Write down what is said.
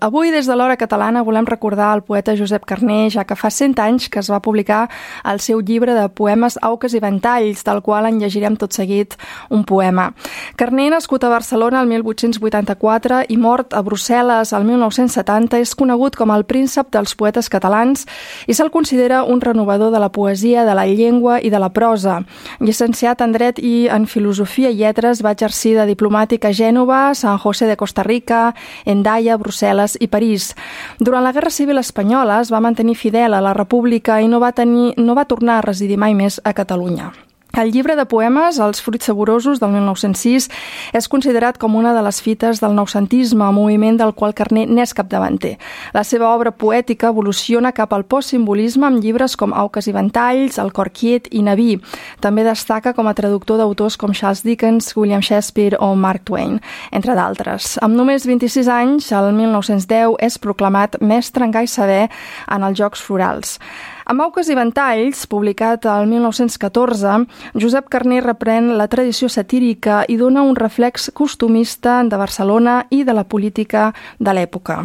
Avui, des de l'Hora Catalana, volem recordar el poeta Josep Carner, ja que fa 100 anys que es va publicar el seu llibre de poemes Auques i Ventalls, del qual en llegirem tot seguit un poema. Carner, nascut a Barcelona el 1884 i mort a Brussel·les el 1970, és conegut com el príncep dels poetes catalans i se'l considera un renovador de la poesia, de la llengua i de la prosa. Llicenciat en Dret i en Filosofia i Lletres, va exercir de diplomàtic a Gènova, San José de Costa Rica, Hendaia, Brussel·les i París. Durant la Guerra Civil Espanyola es va mantenir fidel a la República i no va tornar a residir mai més a Catalunya. El llibre de poemes, Els fruits saborosos, del 1906, és considerat com una de les fites del noucentisme, moviment del qual Carner n'és capdavanter. La seva obra poètica evoluciona cap al postsimbolisme amb llibres com Auques i Ventalls, El cor quiet i Naví. També destaca com a traductor d'autors com Charles Dickens, William Shakespeare o Mark Twain, entre d'altres. Amb només 26 anys, el 1910, és proclamat mestre en gai saber en els Jocs Florals. Amb Auques i Ventalls, publicat el 1914, Josep Carner reprèn la tradició satírica i dona un reflex costumista de Barcelona i de la política de l'època.